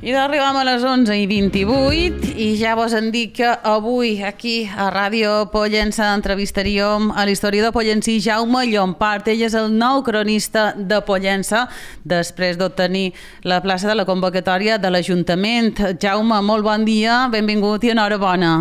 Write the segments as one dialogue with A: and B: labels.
A: I arribem a les 11:28 i ja vos han dit que avui aquí a Ràdio Pollença entrevistaríem a l'historiador pollensí Jaume Llompart. Ell és el nou cronista de Pollença després d'obtenir la plaça de la convocatòria de l'Ajuntament. Jaume, molt bon dia, benvingut i enhorabona.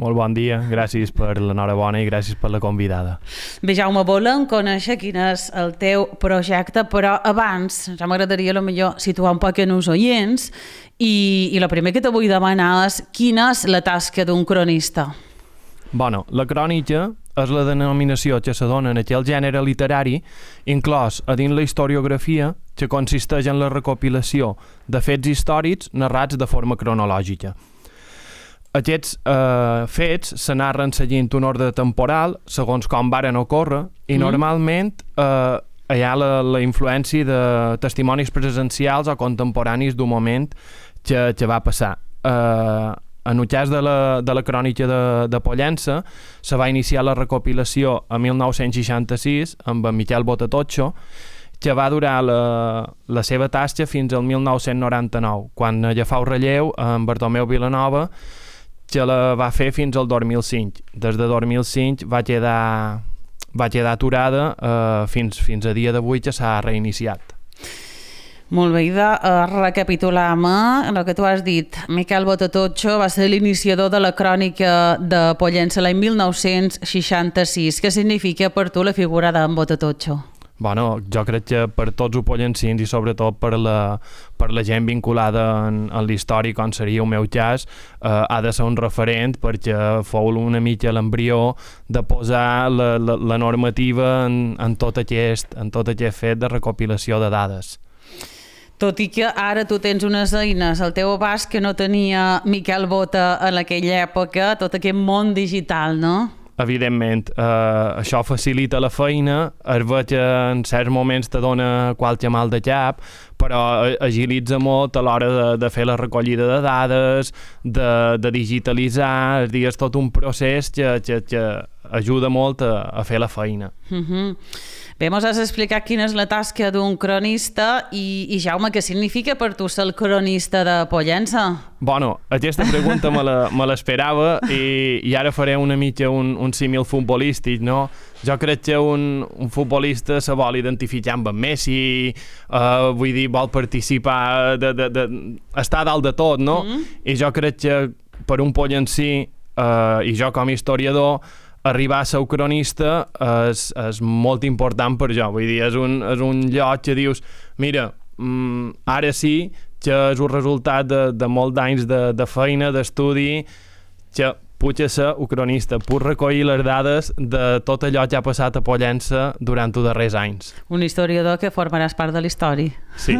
B: Molt bon dia, gràcies per l'enhorabona i gràcies per la convidada.
A: Bé, Jaume, volem conèixer quin és el teu projecte, però abans ja m'agradaria potser situar un poc en els oients i el primer que te vull demanar és quina és la tasca d'un cronista?
B: Bueno, la crònica és la denominació que se dona en aquell gènere literari inclòs a dins la historiografia que consisteix en la recopilació de fets històrics narrats de forma cronològica. Aquests fets se narren seguint un ordre temporal segons com varen ocórrer i normalment hi ha la influència de testimonis presencials o contemporanis d'un moment que va passar. En el cas de la crònica de Pollença se va iniciar la recopilació a 1966 amb en Miquel Botatotxo, que va durar la seva tasca fins al 1999, quan agafau relleu en Bartomeu Vilanova, que la va fer fins al 2005. Des de 2005 va quedar aturada fins a dia d'avui que s'ha reiniciat.
A: Molt bé, recapitulam el que tu has dit. Miquel Botatotxo va ser l'iniciador de la crònica de Pollença l'any 1966. Què significa per tu la figura d'en Botatotxo?
B: Bueno, jo crec que per tots els pollencins i sobretot per la gent vinculada en l'història, com seria el meu cas, ha de ser un referent perquè fou una mica l'embrió de posar la normativa en tot aquest fet de recopilació de dades.
A: Tot i que ara tu tens unes eines al teu abast que no tenia Miquel Bota en aquella època, tot aquest món digital, no?
B: Evidentment, això facilita la feina, es ve que en certs moments te dona qualque mal de cap, però agilitza molt a l'hora de fer la recollida de dades, de digitalitzar, és tot un procés que ajuda molt a fer la feina.
A: Bé, mos has explicat quina és la tasca d'un cronista i Jaume, què significa per tu ser el cronista de Pollença?
B: Bueno, aquesta pregunta me l'esperava i ara faré una mica un símil futbolístic, no? Jo crec que un futbolista se vol identificar amb en Messi, vull dir, vol participar, estar dalt de tot, no? I jo crec que per un pollensí, i jo com a historiador, arribar a ser cronista és molt important per jo, vull dir, és un lloc que dius, mira, ara sí que és un resultat de molts anys de feina, d'estudi, que puc ser un cronista, puc recollir les dades de tot allò que ha passat a Pollença durant els darrers anys.
A: Un historiador que formaràs part de la història.
B: Sí.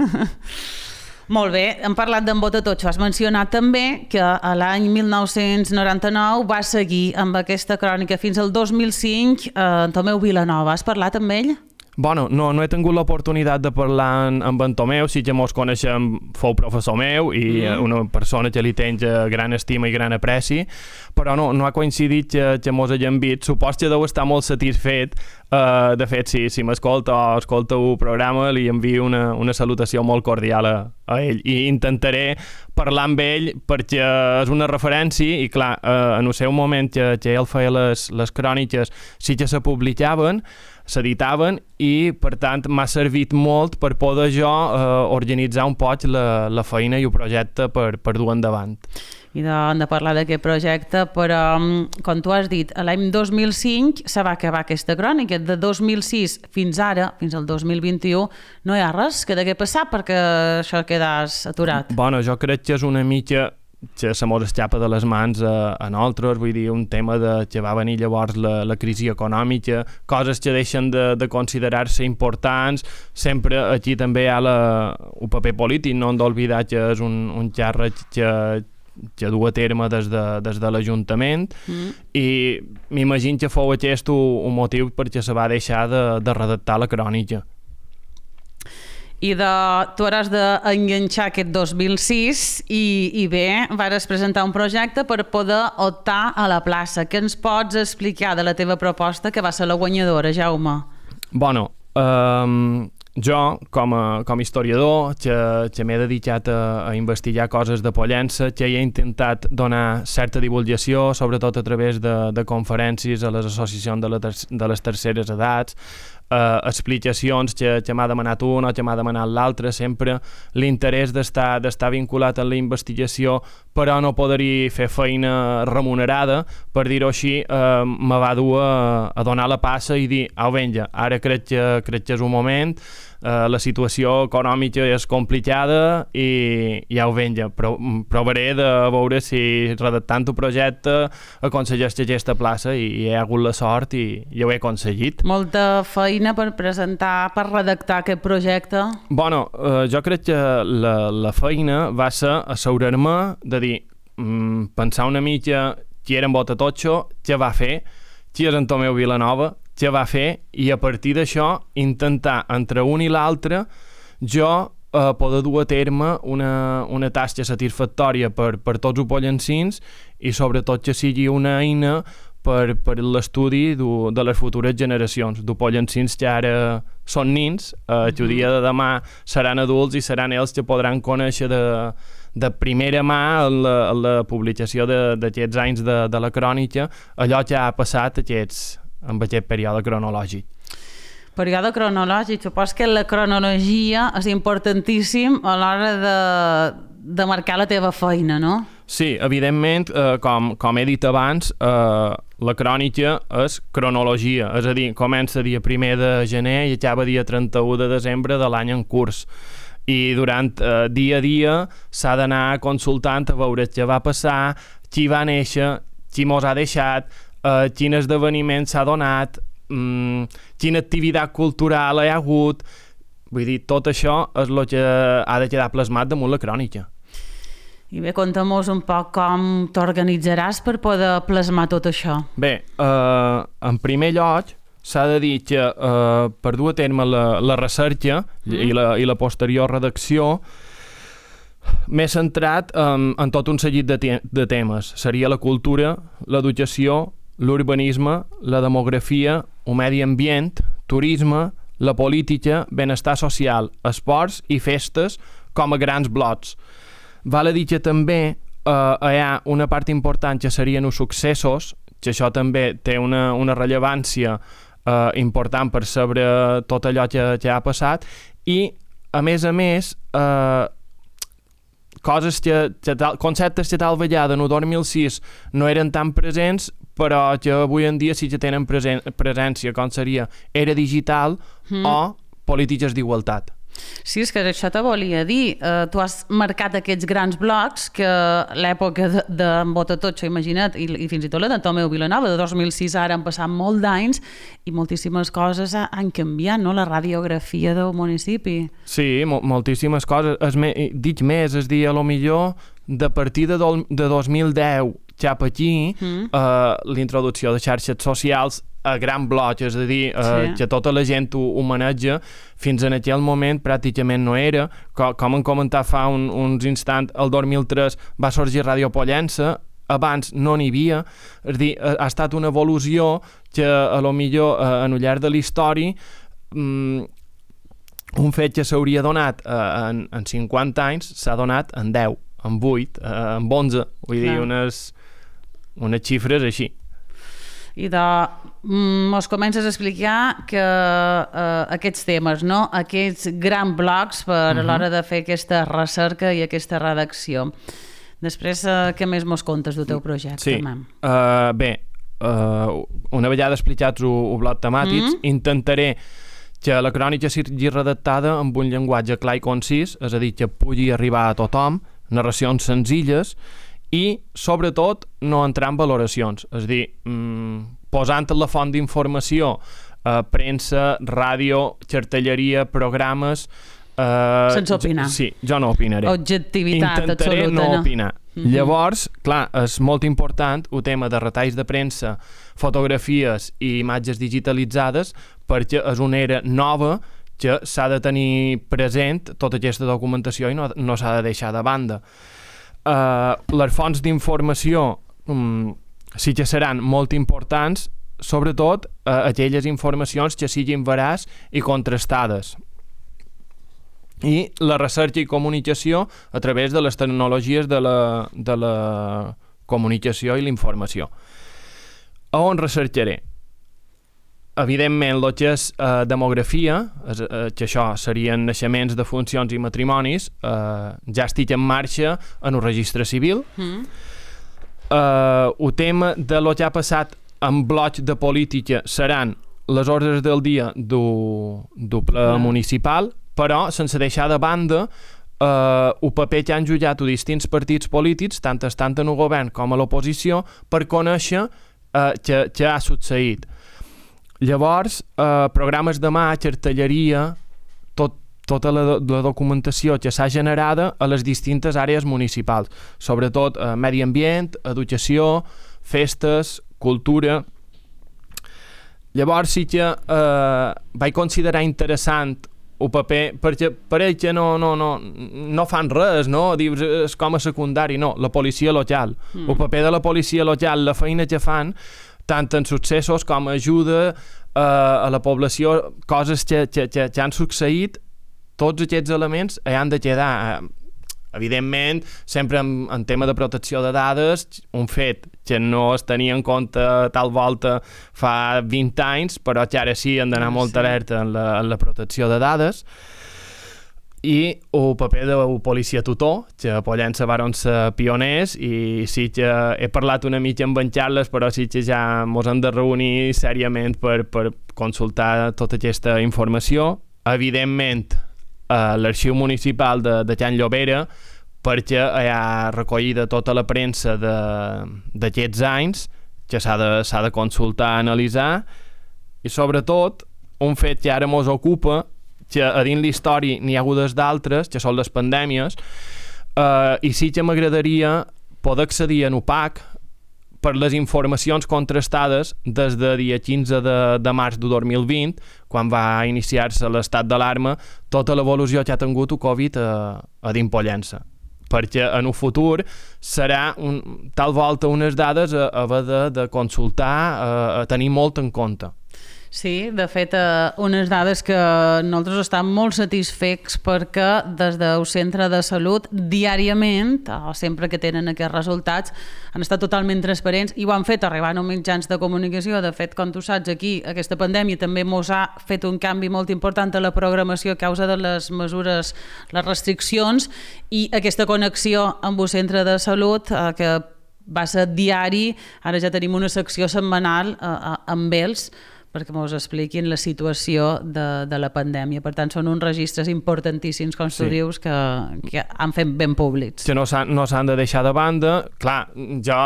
A: Molt bé, hem parlat d'en Botatotxo. Has mencionat també que a l'any 1999 va seguir amb aquesta crònica fins al 2005 en Tomeu Vilanova. Has parlat amb ell?
B: Bueno, no he tingut l'oportunitat de parlar amb en Tomeu, sí que mos coneixem, fou professor meu i una persona que li tens gran estima i gran apreci, però no ha coincidit que mos haguem vist. Supos que deu estar molt satisfet. De fet, si m'escolta o escolta el programa, li envio una salutació molt cordial a ell i intentaré parlar amb ell perquè és una referència i clar, en el seu moment que ell feia les cròniques sí que se publicaven, s'editaven i per tant m'ha servit molt per poder jo organitzar un poc la feina i el projecte per dur endavant.
A: I de parlar d'aquest projecte, però com tu has dit, l'any 2005 se va acabar aquesta crònica, de 2006 fins ara, fins al 2021, no hi ha res que degué passar perquè això quedàs aturat.
B: Bueno, jo crec que és una mica que se mos escapa de les mans a nosaltres, vull dir, un tema que va venir llavors la crisi econòmica, coses que deixen de considerar-se importants, sempre aquí també hi ha el paper polític, no hem d'oblidar que és un càrrec que du a terme des de l'Ajuntament i m'imagino que fou aquest un motiu perquè se va deixar de redactar la crònica.
A: I tu hauràs d'enganxar aquest 2006 i bé, vas presentar un projecte per poder optar a la plaça. Què ens pots explicar de la teva proposta que va ser la guanyadora, Jaume?
B: Bueno, jo, com a historiador, que m'he dedicat a investigar coses de Pollença, que he intentat donar certa divulgació, sobretot a través de conferències a les associacions de les terceres edats, explicacions que m'ha demanat un o que m'ha demanat l'altre, sempre l'interès d'estar vinculat a la investigació, però no poder-hi fer feina remunerada, per dir-ho així, me va dur a donar la passa i dir, au vinga, ara crec que és un moment, la situació econòmica és complicada i au vinga, provaré de veure si redactant un projecte aconsegueix aquesta plaça i he hagut la sort i ho he aconseguit.
A: Molta feina per presentar, per redactar aquest projecte.
B: Bueno, jo crec que la feina va ser assegurar-me de dir, pensar una mica qui era en Botatotxo, què va fer, qui és en Tomeu Vilanova, què va fer, i a partir d'això intentar entre un i l'altre jo poder dur a terme una tasca satisfactòria per tots els pollencins i sobretot que sigui una eina per l'estudi de les futures generacions, de pollencins que ara són nins, que el dia de demà seran adults i seran ells que podran conèixer de primera mà en la publicació d'aquests anys de la crònica allò que ha passat en aquest període cronològic.
A: Període cronològic, supos que la cronologia és importantíssim a l'hora de marcar la teva feina, no?
B: Sí, evidentment, com he dit abans, la crònica és cronologia, és a dir, comença dia 1 de gener i acaba dia 31 de desembre de l'any en curs. I durant dia a dia s'ha d'anar consultant a veure què va passar, qui va néixer, qui mos ha deixat, quin esdeveniment s'ha donat, quina activitat cultural hi ha hagut. Vull dir, tot això és el que ha de quedar plasmat damunt la crònica.
A: I bé, conta'm-nos un poc com t'organitzaràs per poder plasmar tot això.
B: Bé, en primer lloc, s'ha de dir que per dur a terme la recerca i la posterior redacció m'he centrat en tot un seguit de temes. Seria la cultura, l'educació, l'urbanisme, la demografia, el medi ambient, turisme, la política, benestar social, esports i festes com a grans blocs. Val a dir que també hi ha una part important que serien els successos, que això també té una rellevància important per saber tot allò que ha passat, i a més conceptes que tal vegada en el 2006 no eren tan presents però que avui en dia sí que tenen presència, com seria era digital o polítiques d'igualtat.
A: Sí, és que això te volia dir. Tu has marcat aquests grans blocs que l'època d'en Botatotxo, imagina't, i fins i tot la de Tomeu Vilanova, de 2006 ara han passat molt d'anys i moltíssimes coses han canviat, no?, la radiografia del municipi.
B: Sí, moltíssimes coses. Dic més, és dir, a lo millor de partir de 2010 cap aquí, l'introducció de xarxes socials a gran bloc, és a dir, que tota la gent ho maneja, fins en aquell moment pràcticament no era. Com hem comentat fa uns instants, el 2003 va sorgir Ràdio Pollença, abans no n'hi havia, és a dir, ha estat una evolució que a lo millor en el llarg de la història un fet que s'hauria donat en 50 anys s'ha donat en 10, en 8, en 11, vull dir, unes xifres així.
A: I mos comences a explicar que aquests temes, no?, aquests grans blocs per a l'hora de fer aquesta recerca i aquesta redacció. Després, què més mos contes del teu projecte?
B: Sí, bé, una vegada explicats el bloc temàtics, intentaré que la crònica sigui redactada amb un llenguatge clar i concís, és a dir, que pugui arribar a tothom, narracions senzilles, i, sobretot, no entrar en valoracions. És a dir, posant la font d'informació, premsa, ràdio, cartelleria, programes...
A: Sense opinar.
B: Sí, jo no opinaré.
A: Objectivitat
B: intentaré
A: absoluta.
B: No opinar. Llavors, clar, és molt important el tema de retalls de premsa, fotografies i imatges digitalitzades, perquè és una era nova que s'ha de tenir present tota aquesta documentació i no s'ha de deixar de banda. Les fonts d'informació sí que seran molt importants, sobretot aquelles informacions que siguin veraç i contrastades. i la recerca i comunicació a través de les tecnologies de la comunicació i la informació. A on recercaré? Evidentment, el que és demografia, que això serien naixements, defuncions i matrimonis, ja estic en marxa en un registre civil. El tema de lo que ha passat en blocs de política seran les ordres del dia del ple municipal, però sense deixar de banda el paper que han jugat distints partits polítics, tant estant en el govern com a l'oposició, per conèixer què ha succeït. Llavors, programes de mà, cartelleria, tota la documentació que s'ha generada a les distintes àrees municipals, sobretot medi ambient, educació, festes, cultura. Llavors sí que vaig considerar interessant el paper, perquè pareix que no fan res, no? Dius, és com a secundari, no, la policia local. El paper de la policia local, la feina que fan, tant en successos com ajuda a la població, coses que han succeït, tots aquests elements han de quedar. Evidentment, sempre en tema de protecció de dades, un fet que no es tenia en compte tal volta fa 20 anys, però que ara sí han d'anar molt alerta en la protecció de dades. I el paper del policia tutor, que a Pollença varen ser pioners, i sí que he parlat una mica amb en Carles, però sí que ja mos hem de reunir sèriament per consultar tota aquesta informació. Evidentment, l'arxiu municipal de Can Llobera, perquè hi ha recollida tota la premsa d'aquests anys, que s'ha de consultar, analitzar, i sobretot, un fet que ara mos ocupa, que a dins l'història n'hi ha hagut d'altres, que són les pandèmies, i sí que m'agradaria poder accedir en UPAC per les informacions contrastades des de dia 15 de març de 2020, quan va iniciar-se l'estat d'alarma, tota l'evolució que ha tingut el Covid a dins Pollença. Perquè en el futur serà tal volta unes dades a haver de consultar, a tenir molt en compte.
A: Sí, de fet, unes dades que nosaltres estem molt satisfets perquè des del centre de salut diàriament, o sempre que tenen aquests resultats, han estat totalment transparents i ho han fet arribant a mitjans de comunicació. De fet, com tu saps, aquí aquesta pandèmia també mos ha fet un canvi molt important a la programació a causa de les mesures, les restriccions, i aquesta connexió amb el centre de salut que va ser diari, ara ja tenim una secció setmanal amb ells, perquè ens expliquin la situació de la pandèmia. Per tant, són uns registres importantíssims, com tu dius, que han fet ben públics.
B: Que no s'han de deixar de banda. Clar, jo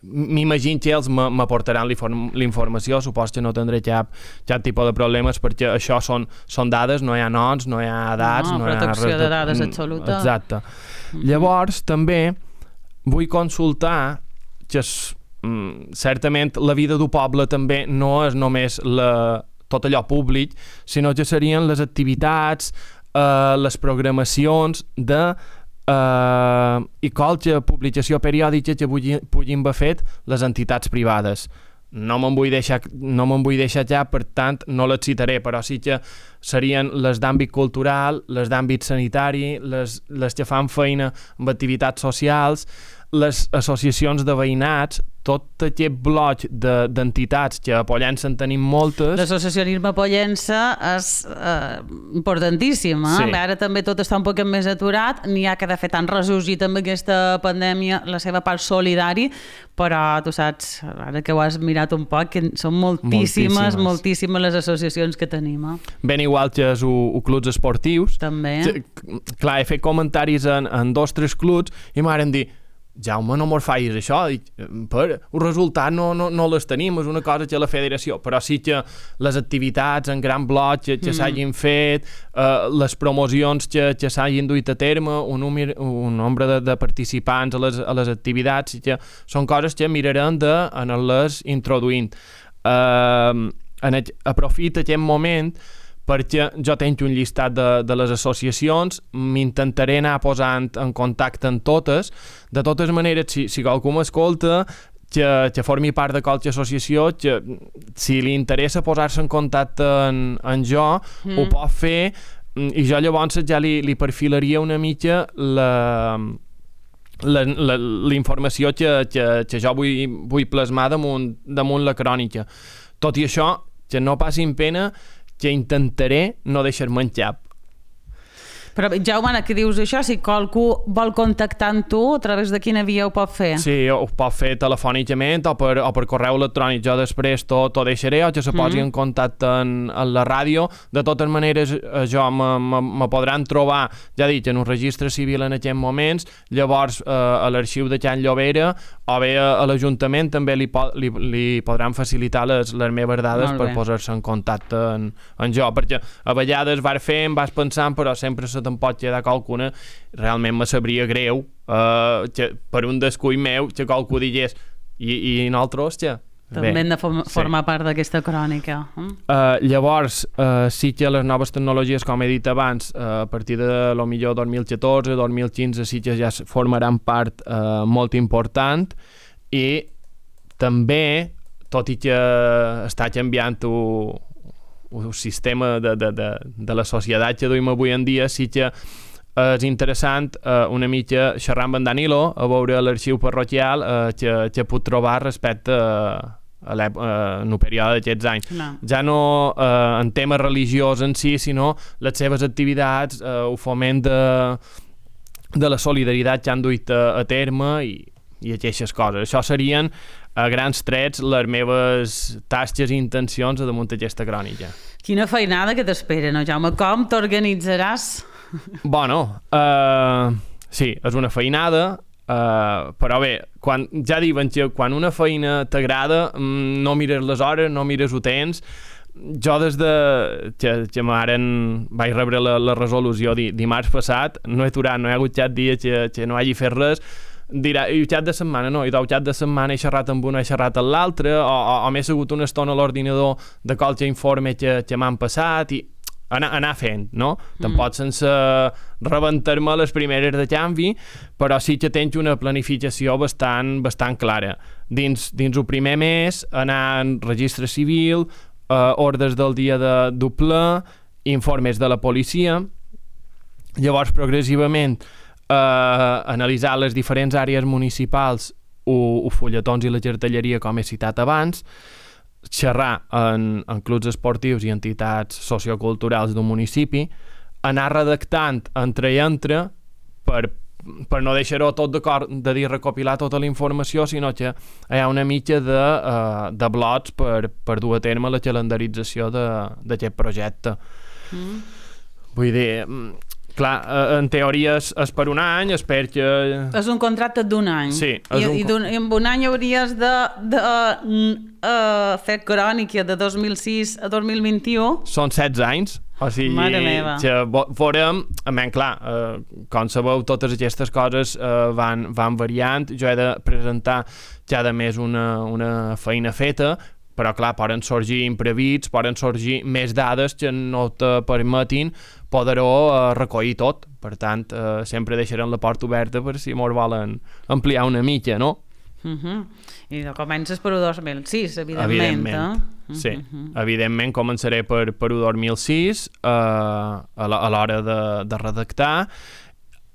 B: m'imagino que ells m'aportaran la informació, supos que no tindré cap tipus de problemes, perquè això són dades, no hi ha noms, no hi ha edats, no hi ha
A: protecció de dades absoluta.
B: Exacte. Llavors, també vull consultar que certament la vida del poble també no és només tot allò públic, sinó que serien les activitats, les programacions i qualque publicació periòdica que puguin haver fet les entitats privades. No me'n vull deixar ja, per tant no les citaré, però sí que serien les d'àmbit cultural, les d'àmbit sanitari, les que fan feina amb activitats socials, les associacions de veïnats, tot aquest bloc d'entitats que a Pollença en tenim moltes.
A: L'associacionisme a Pollença és importantíssim. Sí. Ara també tot està un poc més aturat, n'hi ha que de fet han ressorgit amb aquesta pandèmia la seva part solidari, però tu saps, ara que ho has mirat un poc, que són moltíssimes les associacions que tenim.
B: Ben igual que els clubs esportius.
A: També.
B: Clar, he fet comentaris en 2 o 3 clubs i m'han dit: Jaume, no mos facis això, el resultat no les tenim, és una cosa que la federació, però sí que les activitats en gran bloc que s'hagin fet, les promocions que s'hagin duit a terme, un nombre de participants a les activitats, que són coses que mirarem d'anar-les introduint. Aprofito aquest moment perquè jo tinc un llistat de les associacions, m'intentaré anar posant en contacte amb totes. De totes maneres, si qualcú m'escolta, que formi part de qualque associació, que si li interessa posar-se en contacte amb jo, ho pot fer I jo llavors ja li perfilaria una mica la informació que jo vull plasmar damunt la crònica. Tot i això, que no passin pena, que intentaré no deixar-me en cap.
A: Però, Jaume, ara que dius això, si qualcú vol contactar amb tu, a través de quina via ho pot fer?
B: Sí, ho pot fer telefònicament o per correu electrònic. Jo després tot ho deixaré o que se posi en contacte en la ràdio. De totes maneres, jo me podran trobar, ja dic, en un registre civil en aquests moments, llavors a l'arxiu de Can Llobera o bé a l'Ajuntament també li podran facilitar les meves dades per posar-se en contacte en jo, perquè a vegades vas fent, vas pensant, però sempre se te'n pot quedar qualcuna. Realment me sabria greu que per un descuit meu que qualcú digués i nosaltres, que
A: també hem de formar part d'aquesta crònica.
B: Llavors, sí que les noves tecnologies, com he dit abans, a partir de lo millor 2014, 2015, sí que ja formaran part molt important, i també, tot i que està canviant el sistema de la societat que duim avui en dia, sí que és interessant una mica xerrar amb en Danilo, a veure l'arxiu parroquial que puc trobar respecte a el període d'aquests anys. Ja no en tema religiós en si, sinó les seves activitats, el foment de la solidaritat que han duit a terme i aquestes coses. Això serien a grans trets les meves tasques i intencions damunt d'aquesta crònica.
A: Quina feinada que t'espera, no, Jaume? Com t'organitzaràs?
B: Bueno, sí, és una feinada, però bé, ja diuen que quan una feina t'agrada no mires les hores, no mires el temps. Jo des que vaig rebre la resolució dimarts passat, no he aturat, no he hagut cap dia que no hagi fet res. Dirà, i el cap de setmana no, i del cap de setmana he xerrat amb una, he xerrat amb l'altre, o m'he segut una estona a l'ordinador de qualque informe que m'han passat, i anar fent, no? Tampoc sense rebentar-me les primeres de canvi, però sí que tens una planificació bastant clara. Dins el primer mes, anar en registre civil, ordres del dia de ple, informes de la policia, llavors progressivament analitzar les diferents àrees municipals, els fulletons i la cartelleria, com he citat abans, xerrar en clubs esportius i entitats socioculturals d'un municipi, anar redactant entre i entre per no deixar-ho tot d'acord de dir recopilar tota la informació, sinó que hi ha una mica de blocs per dur a terme la calendarització d'aquest projecte. Vull dir, clar, en teoria és per un any, espero que...
A: És un contracte d'un any.
B: Sí.
A: I en un any hauries de fer crònica de 2006 a 2021.
B: Són 16 anys, o sigui, que veurem, clar, com sabeu, totes aquestes coses van variant. Jo he de presentar cada mes una feina feta, però clar, poden sorgir imprevits, poden sorgir més dades que no te permetin poder-ho recollir tot. Per tant, sempre deixarem la porta oberta per si mos volen ampliar una mica, no?
A: I comences per 2006, evidentment.
B: Sí, evidentment començaré per 2006 a l'hora de redactar,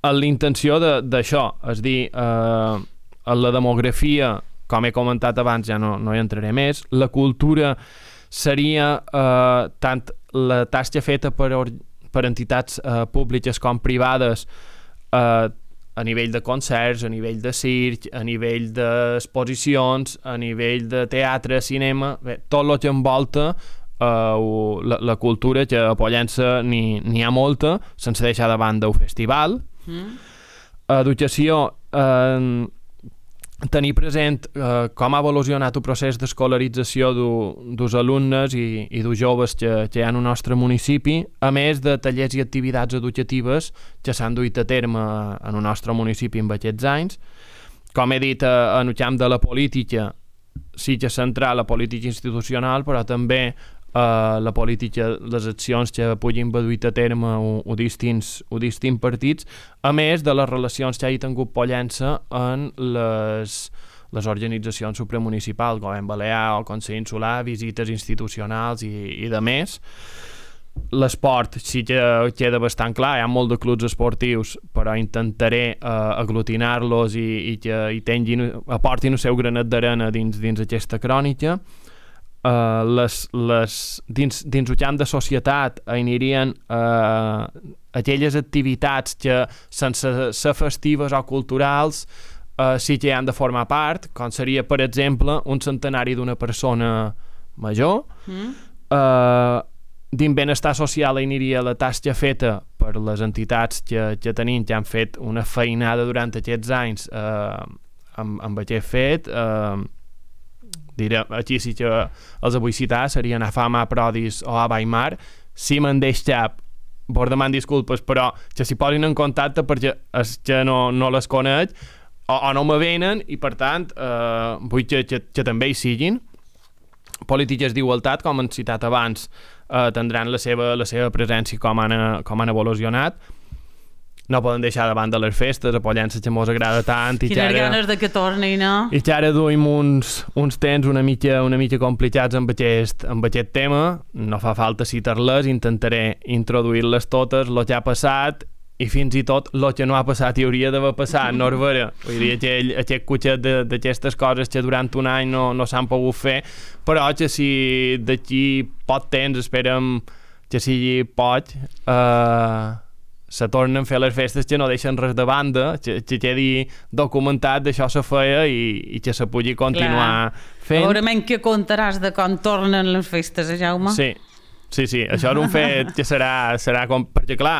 B: amb la intenció d'això, és dir, la demografia, com he comentat abans, ja no hi entraré més. La cultura seria tant la tasca feta per entitats públiques com privades, a nivell de concerts, a nivell de circ, a nivell d'exposicions, a nivell de teatre, cinema, bé, tot el que envolta la cultura, que a Pollença n'hi ha molta, sense deixar de banda el festival. Educació, tenir present com ha evolucionat el procés d'escolarització dels alumnes i dels joves que hi ha en el nostre municipi, a més de tallers i activitats educatives que s'han duit a terme en el nostre municipi en aquests anys. Com he dit, en el camp de la política, sí que centrar la política institucional, però també la política, les accions que puguin haver duit a terme o distints partits, a més de les relacions que hagi tingut Pollença en les organitzacions supramunicipals, Govern Balear o Consell Insular, visites institucionals i de més. L'esport sí que queda bastant clar, hi ha molt de clubs esportius, però intentaré aglutinar-los i que aportin el seu granet d'arena dins aquesta crònica. Dins el camp de societat anirien aquelles activitats que sense ser festives o culturals sí que han de formar part, com seria, per exemple, un centenari d'una persona major. Dins benestar social aniria la tasca feta per les entitats que tenim, que han fet una feinada durant aquests anys amb aquest fet. Aquí sí que els vull citar, serien a Fama, Prodis o a Weimar. Si me'n deix cap, vos deman disculpes, però que s'hi posin en contacte perquè és que no les conec o no me venen, i per tant vull que també hi siguin. Polítiques d'igualtat, com hem citat abans, tindran la seva presència, com han evolucionat. No poden deixar de banda les festes, a Pollença que mos agrada tant.
A: Quines ganes de que tornin, no?
B: I que ara duim uns temps una mica complicats amb aquest tema. No fa falta citar-les, intentaré introduir-les totes, el que ha passat i fins i tot el que no ha passat i hauria d'haver passat, no és vera. Vull dir, aquest cotxet d'aquestes coses que durant un any no s'han pogut fer, però que si d'aquí poc temps, esperem que sigui poc, se tornen a fer les festes que no deixen res de banda, que quedi documentat d'això se feia i que se pugui continuar fent.
A: Segurament que contaràs de com tornen les festes, Jaume?
B: Sí, això és un fet que serà com... Perquè clar,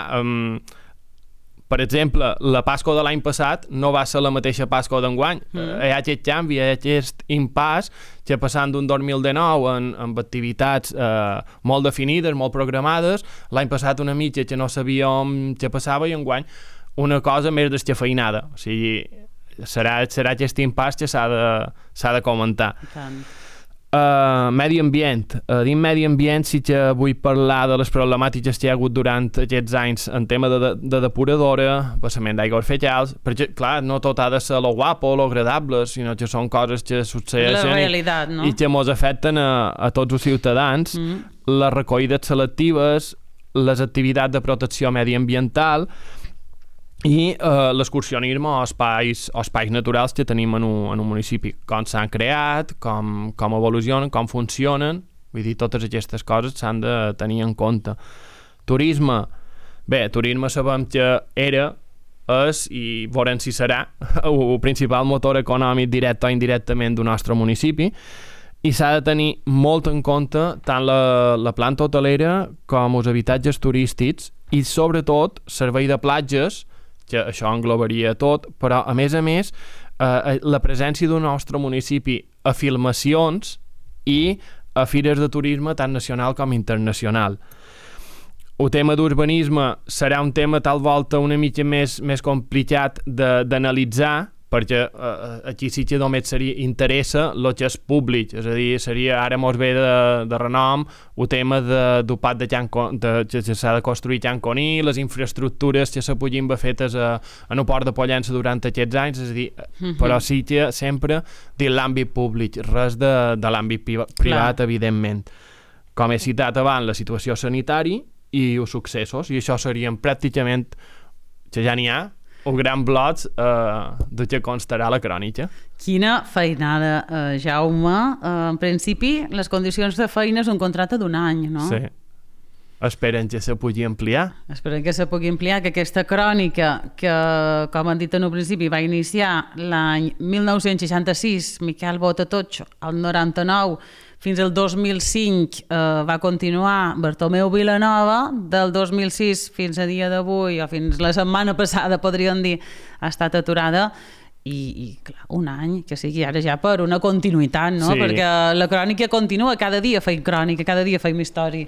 B: per exemple, la Pasqua de l'any passat no va ser la mateixa Pasqua d'enguany. Hi ha aquest canvi, hi ha aquest impàs que passant d'un 2019 amb activitats molt definides, molt programades, l'any passat una mitja que no sabíem què passava i enguany una cosa més descafeinada. O sigui, serà aquest impàs que s'ha de comentar.
A: Tant.
B: Medi ambient. Dins medi ambient sí que vull parlar de les problemàtiques que hi ha hagut durant aquests anys en tema de depuradora, vessament d'aigües fecals, perquè, clar, no tot ha de ser lo guapo, lo agradable, sinó que són coses que succeeixen
A: realitat, no?
B: i que mos afecten a tots els ciutadans. Les recollides selectives, les activitats de protecció mediambiental i l'excursionisme o espais naturals que tenim en un municipi, com s'han creat, com evolucionen, com funcionen. Vull dir, totes aquestes coses s'han de tenir en compte. Turisme sabem que és i veurem si serà el principal motor econòmic directe o indirectament del nostre municipi, i s'ha de tenir molt en compte tant la planta hotelera com els habitatges turístics i sobretot servei de platges, que això englobaria tot, però a més la presència del nostre municipi a filmacions i a fires de turisme tant nacional com internacional. El tema d'urbanisme serà un tema tal volta una mica més complicat d'analitzar, perquè aquí sí que només interessa el que és públic, és a dir, ara mos ve de renom el tema del pad que s'ha de construir Can Coní, les infraestructures que se puguin haver fetes en el port de Pollença durant aquests anys, és a dir, però sí que sempre dins l'àmbit públic, res de l'àmbit privat, evidentment. Com he citat abans, la situació sanitària i els successos, i això serien pràcticament, que ja n'hi ha, un gran bloc de què constarà la crònica.
A: Quina feinada, Jaume. En principi, les condicions de feina és un contracte d'un any, no?
B: Sí. Esperen que se pugui ampliar.
A: Esperen que se pugui ampliar, que aquesta crònica, que, com han dit en un principi, va iniciar l'any 1966, Miquel Botatotxo, al 99, fins al 2005 va continuar Bartomeu Vilanova, del 2006 fins a dia d'avui, o fins la setmana passada, podríem dir, ha estat aturada, i clar, un any, que sigui ara ja per una continuïtat, no?
B: Sí.
A: Perquè la crònica continua, cada dia feim crònica, cada dia feim història.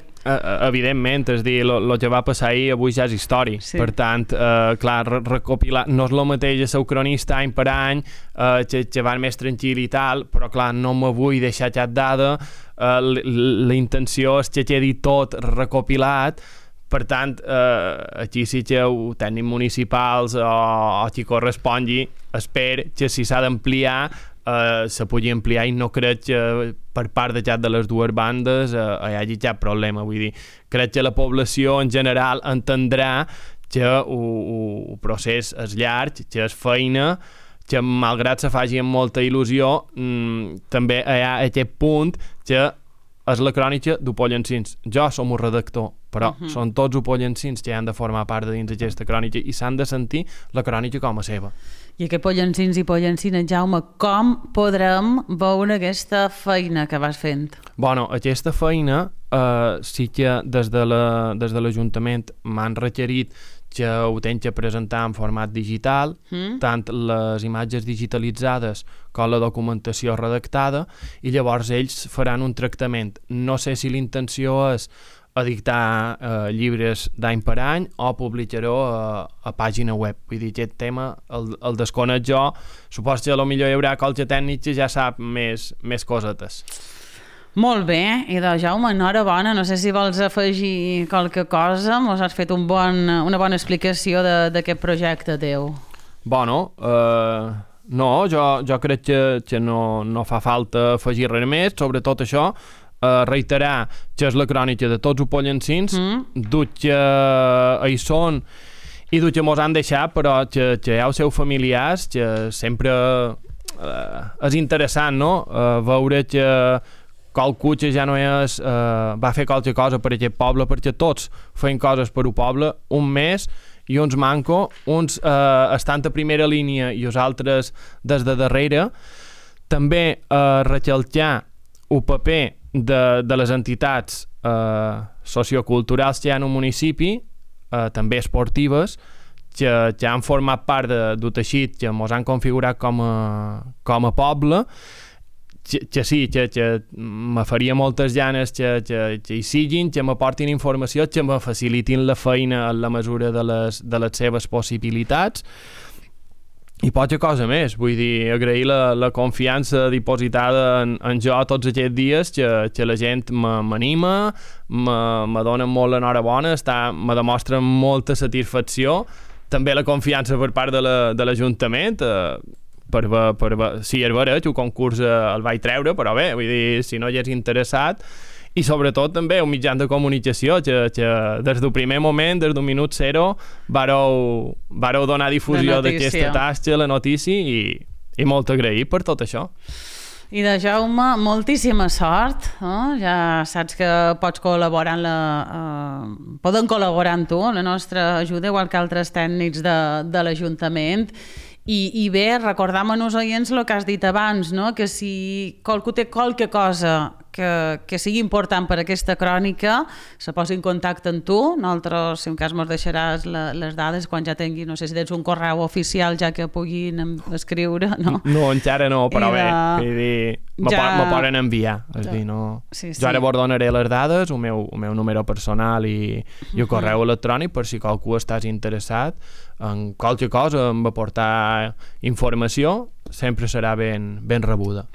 B: Evidentment, és dir, el que va passar ahir avui ja és història. Sí. Per tant, clar, recopilar, no és el mateix ser cronista any per any, que van més tranquil i tal, però clar, no me vull deixar cap dada, la intenció és que quedi tot recopilat. Per tant, aquí sí que els tècnics municipals o qui correspongui, espero que si s'ha d'ampliar se pugui ampliar i no crec que per part de les dues bandes hi hagi cap problema. Vull dir, crec que la població en general entendrà que el procés és llarg, que és feina, que malgrat se faci amb molta il·lusió, també hi ha aquest punt que és la crònica d'Opollencins. Jo som un redactor, però són tots opollencins que han de formar part de dins d'aquesta crònica i s'han de sentir la crònica com a seva.
A: I que pollencins i pollencines, Jaume, com podrem veure aquesta feina que vas fent?
B: Bueno, aquesta feina sí que des de l'Ajuntament m'han requerit que ho tenc que presentar en format digital, tant les imatges digitalitzades com la documentació redactada, i llavors ells faran un tractament. No sé si l'intenció és edictar llibres d'any per any o publicar-ho a pàgina web. Vull dir, aquest tema el desconec jo. Supos que potser hi haurà qualque tècnic que ja sap més cosetes.
A: Molt bé, i de Jaume, enhorabona, no sé si vols afegir qualque cosa, mos has fet una bona explicació d'aquest projecte teu.
B: Bueno, no, jo crec que no fa falta afegir res més, sobretot això, reiterar que és la crònica de tots els pollencins, dut que hi són i dut que mos han deixat, però que hi ha els seus familiars, que sempre és interessant, no?, veure que qualcú que ja no és, va fer qualque cosa per aquest poble, perquè tots feien coses per un poble, un més i uns manco, uns estan a primera línia i els altres des de darrere. També recalcar el paper de les entitats socioculturals que hi ha en un municipi, també esportives, que han format part d'un teixit que ens han configurat com a poble, que sí, que me faria moltes ganes que hi siguin, que m'aportin informació, que me facilitin la feina en la mesura de les seves possibilitats i poca cosa més. Vull dir, agrair la confiança dipositada en jo tots aquests dies, que la gent m'anima, me dona molt l'enhorabona, me demostra molta satisfacció, també la confiança per part de l'Ajuntament, sí, és vera, el concurs el vaig treure, però bé, vull dir, si no hi és interessat, i sobretot també un mitjà de comunicació que des del primer moment, des del minut zero, vareu donar difusió d'aquesta tasca, la notícia, i molt agraït per tot això.
A: I de Jaume, moltíssima sort, ja saps que pots col·laborar poden col·laborar amb tu, la nostra ajuda, igual que altres tècnics de l'Ajuntament. I bé, recordam als oients el que has dit abans, no? Que si qualcú té qualque cosa que sigui important per aquesta crònica, se posi en contacte amb tu. Nosaltres, si en cas, ens deixaràs les dades quan ja tingui, no sé si tens un correu oficial ja que puguin escriure, no? No,
B: encara no, però bé, vull dir, me poden enviar. És dir, no... Jo ara vos donaré les dades, el meu número personal i el correu electrònic, per si qualcú estàs interessat en qualque cosa, en aportar informació, sempre serà ben rebuda.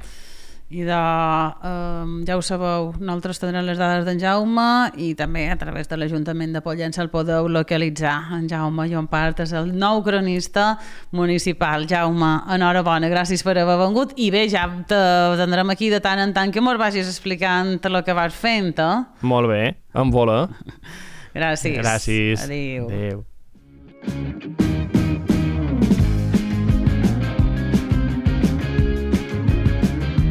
A: I ja ho sabeu, nosaltres tindrem les dades d'en Jaume i també a través de l'Ajuntament de Pollença el podeu localitzar. En Jaume Llompart és el nou cronista municipal. Jaume, enhorabona, gràcies per haver vengut i bé, ja te tindrem aquí de tant en tant que mos vagis explicant el que vas fent,
B: Molt bé, en voler.
A: Gràcies.
B: Gràcies.
A: Adéu.
B: Adéu.